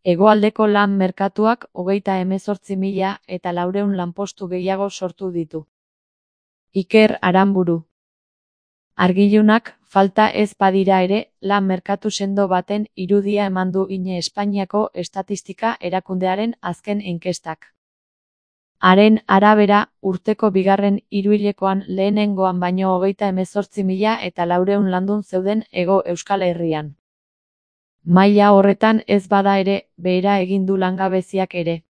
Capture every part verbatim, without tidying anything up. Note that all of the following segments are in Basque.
Hegoaldeko lan merkatuak hogeita hemezortzi mila eta laurehun lanpostu gehiago sortu ditu. Iker Aranburu. Argilunak falta ez badira ere, lan merkatu sendo baten irudia eman du ine Espainiako Estatistika Erakundearen azken inkestak. Haren arabera, urteko bigarren hiruhilekoan lehenengoan baino hogeita hemezortzi mila eta laurehun landun zeuden Hego Euskal Herrian. Maila horretan ez bada ere, behera egin du langabeziak ere.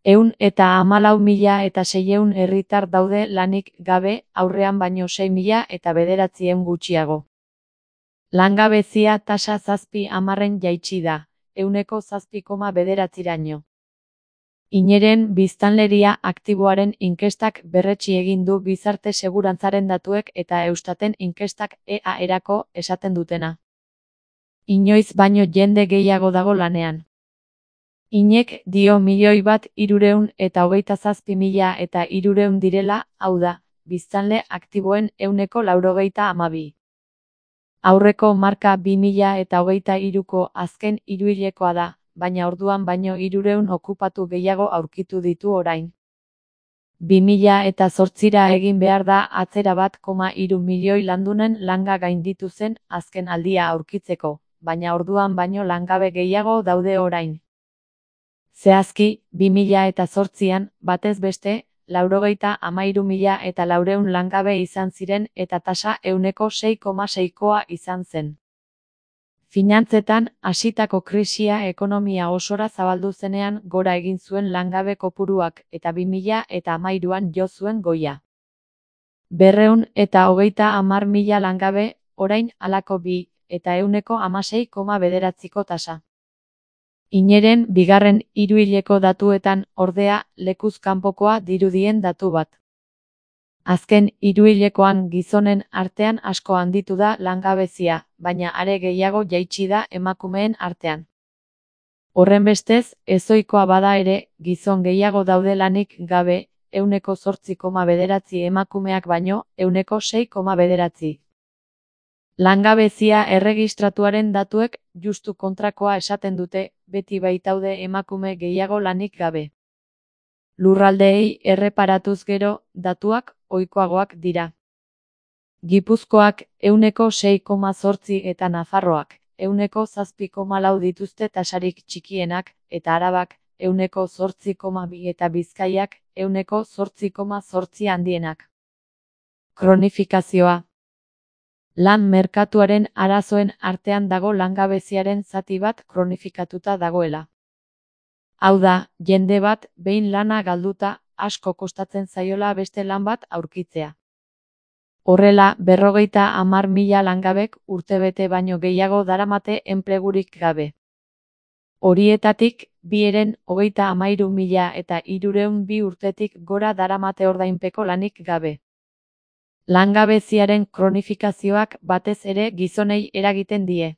Ehun eta hamalau mila eta seiehun herritar daude lanik gabe, aurrean baino sei mila eta bederatziehun gutxiago. Langabezia tasa zazpi hamarren jaitsi da, ehuneko zazpi koma bederatziraino. Ineren biztanleria aktiboaren inkestak berretsi egin du gizarte segurantzaren datuek eta Eustaten inkestak E A erako esaten dutena. Inoiz baino jende gehiago dago lanean. Inek dio milioi bat hirurehun eta hogeita zazpi mila eta hirurehun direla, hau da, biztanle aktiboen ehuneko laurogeita hamabi. Aurreko marka bi mila eta hogeita hiruko azken hiruhilekoa da, baina orduan baino hirurehun okupatu gehiago aurkitu ditu orain. bi mila eta zortzira egin behar da atzera bat koma hiru milioi landunen langa gainditu zen azken aldia aurkitzeko, baina orduan baino langabe gehiago daude orain. Zehazki, bi mila eta zortzian, batez beste, laurogeita hamairu mila eta laurehun langabe izan ziren eta tasa ehuneko sei koma seikoa izan zen. Finantzetan, hasitako krisia ekonomia osora zabaldu zenean gora egin zuen langabe kopuruak eta bi mila eta hamairuan jo zuen goia. Berrehun eta hogeita hamar mila langabe, orain halako bi, eta ehuneko hamasei koma bederatziko tasa. Ineren bigarren hiruhileko datuetan, ordea, lekuz kanpokoa dirudien datu bat. Azken hiruhilekoan gizonen artean asko handitu da langabezia, baina are gehiago jaitsi da emakumeen artean. Horrenbestez, ezohikoa bada ere, gizon gehiago daude lanik gabe, ehuneko zortzi koma bederatzi emakumeak baino, ehuneko sei koma bederatzi. Langabezia erregistratuaren datuek justu kontrakoa esaten dute, beti baitaude emakume gehiago lanik gabe. Lurraldeei erreparatuz gero, datuak ohikoagoak dira. Gipuzkoak ehuneko sei koma zortzi eta Nafarroak ehuneko zazpi koma lau dituzte tasarik txikienak, eta Arabak ehuneko zortzi koma bi eta Bizkaiak ehuneko zortzi koma zortzi handienak. Kronifikazioa. Lan merkatuaren arazoen artean dago langabeziaren zati bat kronifikatuta dagoela. Hau da, jende bat, behin lana galduta, asko kostatzen zaiola beste lan bat aurkitzea. Horrela, berrogeita hamar mila langabek urtebete baino gehiago daramate enplegurik gabe. Horietatik, bi eren hogeita hamairu mila eta hirurehun bi urtetik gora daramate ordainpeko lanik gabe. Langabeziaren kronifikazioak batez ere gizonei eragiten die.